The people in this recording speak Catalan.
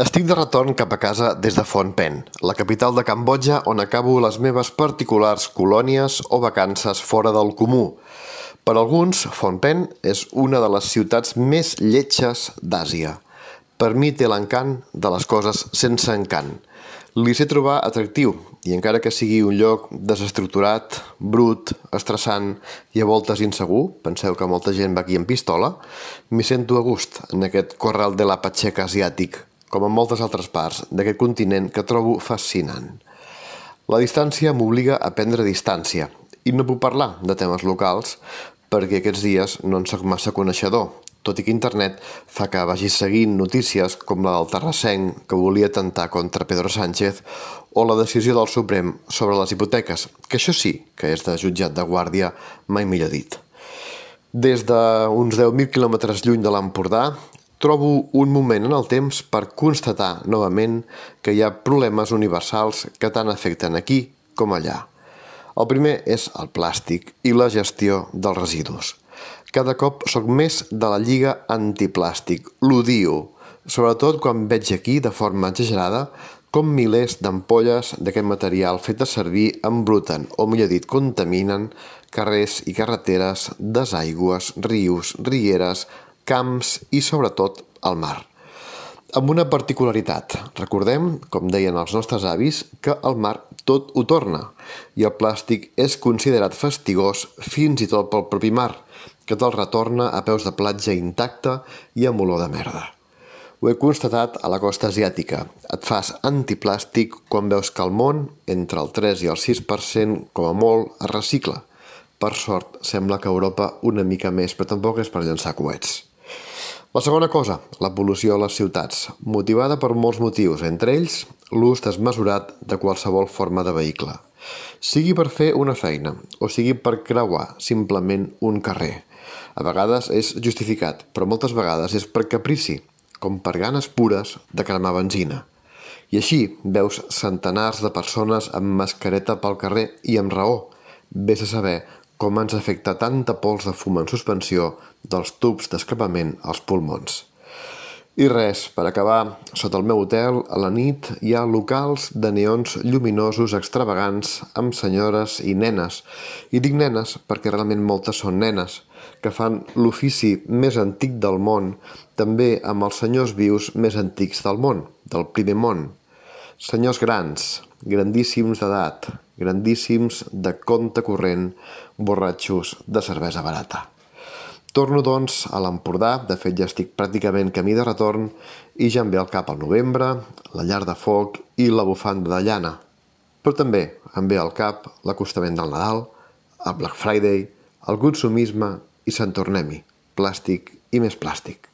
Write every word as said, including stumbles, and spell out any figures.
Estic de retorn cap a casa des de Phnom Penh, la capital de Cambodja, on acabo les meves particulars colònies o vacances fora del comú. Per alguns, Phnom Penh és una de les ciutats més lletges d'Àsia. Per mi té l'encant de les coses sense encant. Li sé trobar atractiu, i encara que sigui un lloc desestructurat, brut, estressant i a voltes insegur, penseu que molta gent va aquí amb pistola, m'hi sento a gust en aquest corral de la Pacheca asiàtic, com en moltes altres parts d'aquest continent que trobo fascinant. La distància m'obliga a prendre distància i no puc parlar de temes locals perquè aquests dies no en soc massa coneixedor, tot i que internet fa que vagi seguint notícies com la del terrassenc que volia atemptar contra Pedro Sánchez o la decisió del Suprem sobre les hipoteques, que això sí que és de jutjat de guàrdia, mai millor dit. Des d'uns deu mil quilòmetres lluny de l'Empordà, trobo un moment en el temps per constatar novament que hi ha problemes universals que tant afecten aquí com allà. El primer és el plàstic i la gestió dels residus. Cada cop soc més de la lliga antiplàstic, l'odio, sobretot quan veig aquí, de forma exagerada, com milers d'ampolles d'aquest material fet servir embruten, o millor dit, contaminen carrers i carreteres, desaigües, rius, rieres, camps i, sobretot, al mar. Amb una particularitat. Recordem, com deien els nostres avis, que al mar tot ho torna i el plàstic és considerat fastigós fins i tot pel propi mar, que te'l retorna a peus de platja intacte i amb olor de merda. Ho he constatat a la costa asiàtica. Et fas antiplàstic quan veus que al món, entre el tres i el sis per cent, com a molt, es recicla. Per sort, sembla que a Europa una mica més, però tampoc és per llançar coets. La segona cosa, la pol·lució a les ciutats, motivada per molts motius, entre ells l'ús desmesurat de qualsevol forma de vehicle. Sigui per fer una feina, o sigui per creuar simplement un carrer. A vegades és justificat, però moltes vegades és per caprici, com per ganes pures de cremar benzina. I així veus centenars de persones amb mascareta pel carrer i amb raó. Vés a saber com ens afecta tanta pols de fum en suspensió dels tubs d'escapament als pulmons. I res, per acabar, sota el meu hotel, a la nit, hi ha locals de neons lluminosos extravagants amb senyores i nenes. I dic nenes perquè realment moltes són nenes, que fan l'ofici més antic del món, també amb els senyors vius més antics del món, del primer món. Senyors grans, grandíssims d'edat, grandíssims de compte corrent, borratxos de cervesa barata. Torno, doncs, a l'Empordà, de fet ja estic pràcticament camí de retorn i ja em ve al cap el novembre, la llar de foc i la bufanda de llana. Però també em ve al cap l'acostament del Nadal, el Black Friday, el consumisme i Sant Tornem-hi, plàstic i més plàstic.